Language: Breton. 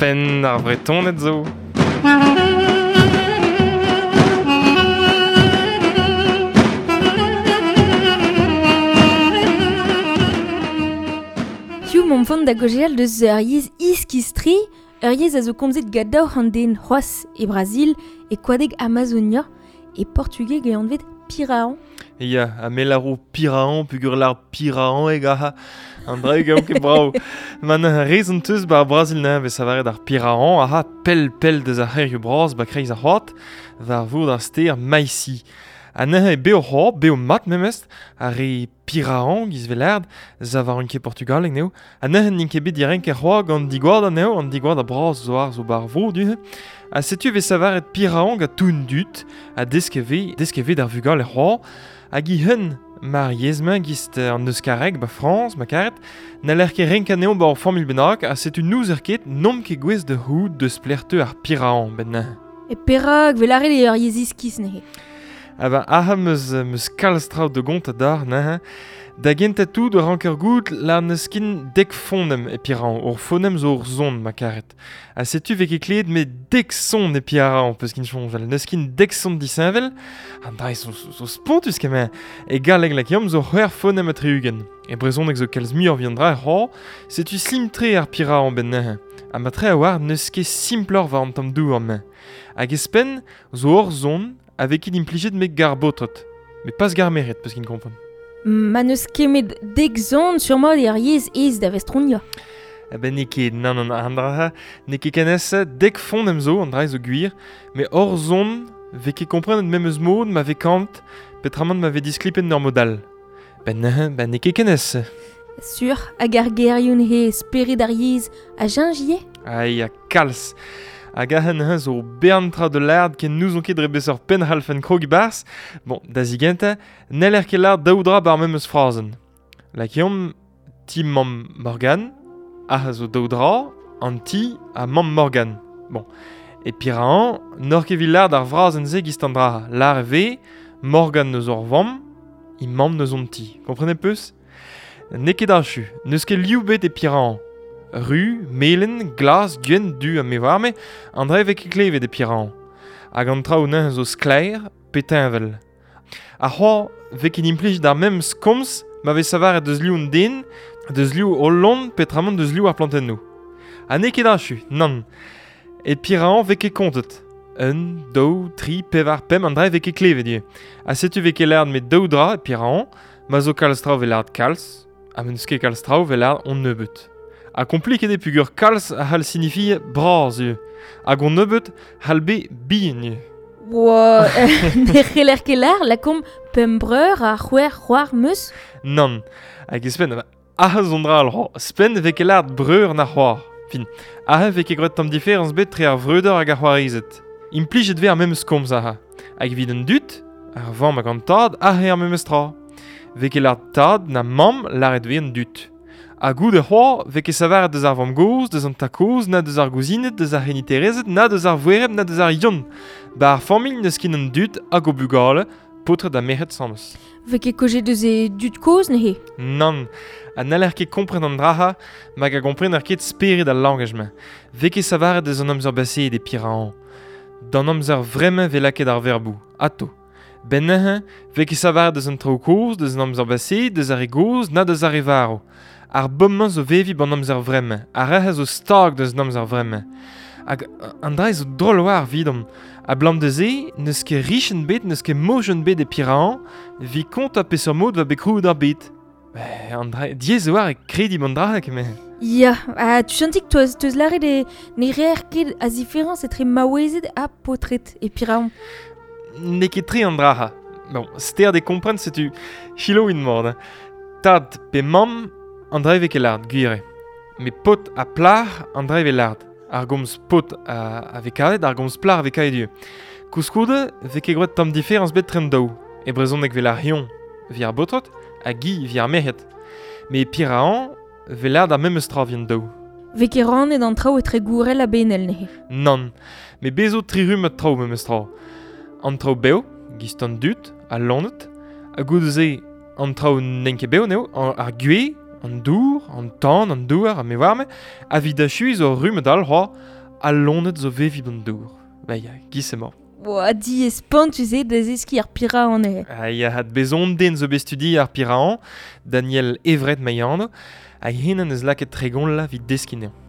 Penn ar Vretoned zo. Hiziv 'momp vont da gaozeal deus ur yezh iskis-tre, ur yezh a zo komzet gant 200 den c'hoazh e Brazil, e koadeg Amazonia, e portugeg eo anvet Pirahan. Ya, ha me lâro Pirahan peogwir lâr Pirahaneg aze. An draig eo ket brav. Ma neuze rezon 'teus 'ba ar Brazil neuze 'vez lavaret ar Pirahan aze pell-pell deus ar c'hêrioù bras 'ba kreiz ar c'hoad, war vourd ar stêr Maici. Ha neuze eo bev c'hoazh, bev mat memes, ar re Pirahan giz 'vez lâret, 'zavaran ket portugaleg anezho. Ha neuze n'int ket bet direnket c'hoazh gant digoad anezho, an digoad bras zo ar zo 'ba ar vro du-hont. Ha setu e vez lavaret Pirahan gant tout an dud, ha desket 'vez, desket 'vez d'ar vugale c'hoazh. Hag i hun, mar yezh-mañ gist an euskareg 'ba Frañs, ma karet, n'haller ket renkañ anezho 'ba ur familh bennak, ha setu n'ouzer ket n'omp ket gouest da c'hoût deus pelec'h teu ar Pirahan 'benn neuze. E perak 'vez lâret eo ur yezh iskis neuze? Ah ben, aze 'meus kalz traoù da gontañ deoc'h neuze. Da gentañ tout e ranker goût lâr n'eus ken dek fonem e Pirahan. Ur fonem zo ur son, ma karet. Ha setu 'vez ket klevet met dek son e Pirahan, peus kin soñjal. N'eus ken dek son disheñvel. An dra zo, zo spontus kement. E galleg lakeomp zo c'hwec'h fonem ha 60. E brezhoneg zo kalz muioc'h evit an dra c'hoazh. Setu slim-tre ar Pirahan 'benn neuze. Ha matre a-walc'h n'eus ket simploc'h war an tamm douar-mañ. Hag e-spenn zo ur son a vez ket implijet met gar baotred. Met pas gar merc'hed, peus kin kompren. Ma n'eus ket met dek zon sur-mat eo ar yezh aes da vestroniañ. Eh ben n'eo ket, nann, nann, an dra n'eo ket ken aes dek fonem zo, an dra zo gwir, met hor zon 'vez ket komprenet memes mod ma vez kanet, petramant ma vez disklipet en ur mod all. Ben neuze, ben n'eo ket ken aes. Sur, hag ar gerioù he spered ar yezh a cheñch ivez? Ah ya, kalz. Hag aze neuze zo bern tra da lâret ken n'ouzon ket dre beseurt penn c'hallfen krog e-barzh. Bon, da zigentañ, n'heller ket lâret daou dra 'bar memes frazenn. Lakeomp ti mamm Morgan, aze zo daou dra, an ti ha mamm Morgan. Bon, e Pirahan, n'oc'h ket evit lâret ar frazenn-se gist an dra. Lâret e vez Morgan eus hor vamm, he mamm eus hon ti. Komprenet 'peus? N'eo ket achu, n'eus ket liv bet e Pirahan. Ru, melen, glas, gwenn, du ha me 'oar-me, an dra e vez ket klevet e Pirahan. Hag an traoù neuze zo sklaer pe teñval. Ar c'hoaz 'vez ket implijet ar memes komz ma vez savaret deus liv an den, deus liv hol loen petramant deus liv ar plantennoù. Ha n'eo ket achu, nann. E Pirahan 'vez ket kontet. Un, daou, tri, pevar, pemp, an dra e vez ket klevet ivez. Ha setu 'vez ket lâret met daou dra e Pirahan, Ma zo kalz traoù 'vez lâret kalz, ha ma n'eus ket kalz traoù 'vez lâret on nebeut. Ha kompliket eo peogwir kalz a c'hall sinifier bras ivez, hag on nebeut c'hall bet bihan ivez. Oa, ne c'heller ket lâr, lakaomp pemp breur ha c'hwec'h c'hoar 'meus. Nann, hag ouzhpenn, aze zo un dra all c'hoazh. Ouzhpenn ne vez ket lâret breur na c'hoar. Fin, aze 'vez ket graet tamm diferañs bet tre ar vreudeur hag ar c'hoarezed. Implijet 'vez ar memes komz aze. Hag evit an dud, ar vamm hag an tad aze ar memes tra. 'Vez ket lâret tad na mamm lâret 'vez an dud. Ha goude c'hoazh 'vez ket savaret deus ar vamm-gozh, deus an tad-kozh, na deus ar gouzined, deus ar c'heniterezed, na deus ar voereb, na deus ar Yann. 'Ba ar familh n'eus ket an dud hag o bugale, paotred ha merc'hed sames. 'Vez ket kaojet deus e dud-kozh neuze? Nann, ha n'haller ket kompren an dra-ha, mag a gomprener ket spered al langaj-mañ. 'Vez ket savaret deus an amzer baseet e Pirahan. D'an amzer vremañ 'vez lakaet ar verboù, atô. 'Benn neuze 'vez ket savaret deus an traoù kozh, deus an amzer baseet, deus ar re gozh, na deus ar re varv. Ar bomm-mañ zo veviñ 'ban amzer vremañ, ar re zo stag deus an amzer vremañ. Hag an dra zo drol war 'vidomp. Abalamour da se n'eus ket richenn bet, n'eus ket mojenn bet e Pirahan 'vit kontañ peseurt mod 'oa bet krouet ar bed. An dra diaes e oa krediñ an dra kement. Ya, ha tuchantik 'teus teus lâret e ne reer ket a ziferañs etre maouezed ha paotred e Piraon. N'eo ket tre an dra-ha. Bon, sterd e kompren setu selaouit mat. Hein. Tad pe mamm, an dra e vez ket lâret, gwir eo. Met paotr ha plac'h, an dra e vez lâret. Ar gomz paotr a, a vez kavet, ar gomz plac'h a vez kavet ivez. Koulskoude, 'vez ket graet tamm diferañs bet tre an daou. E brezhoneg 'vez lâret eñ 'vit ar baotred hag hi 'vit ar merc'hed. Met e Pirahan 'vez lâret ar memes tra 'vit an daou. 'Vez ket rannet an traoù etre gourel ha benel neuze. Nann, met bez zo tri rummad traoù memes tra. An traoù bev, gist an dud, al loened, ha goude-se an traoù n'int ket bev anezho, ar gwez, An dour, an tan, an douar, a me warme, a vid achu zo rumm dal c'hoa, a lonet zo vevi an dour. Ba ya, giz emañ. Oa, di spontus eo da zeskiñ ar pirahan eo. Ha ya hat bezon den zo bet studi ar pirahan, Daniel Evret Maiano, hag hen an eus lakaet tregon la vid deskiñ anezhañ.